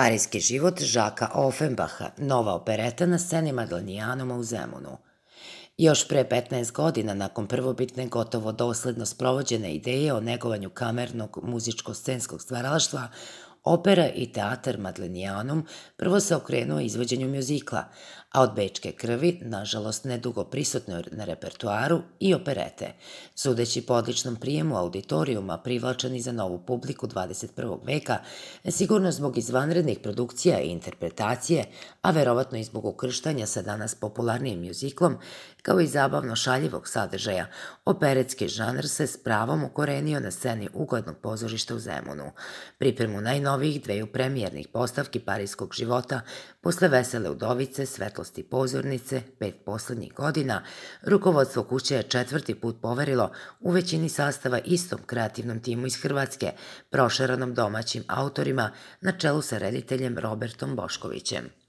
Parijski život Žaka Ofenbaha, nova opereta na sceni Maglanijanuma u Zemunu. Još pre 15 godina, nakon prvobitne gotovo dosledno sprovođene ideje o negovanju kamernog muzičko-scenskog stvaralaštva, opera i teatar Maglanijanum prvo se okrenuo izvođenju mjuzikla, a od Bečke krvi, nažalost nedugo prisutno na repertuaru, i operete, sudeći po odličnom prijemu auditorijuma privlačeni za novu publiku 21. veka, sigurno zbog izvanrednih produkcija i interpretacije, a verovatno i zbog ukrštanja sa danas popularnijim mjuziklom, kao i zabavno šaljivog sadržaja, operetski žanr se s pravom ukorenio na sceni uglednog pozorišta u Zemunu. Pripremu najnovijih dveju premijernih postavki parijskog života, posle Vesele udovice, Svetlosti pozornice, 5 poslednjih godina, rukovodstvo kuće je četvrti put poverilo u većini sastava istom kreativnom timu iz Hrvatske, prošeranom domaćim autorima na čelu sa rediteljem Robertom Boškovićem.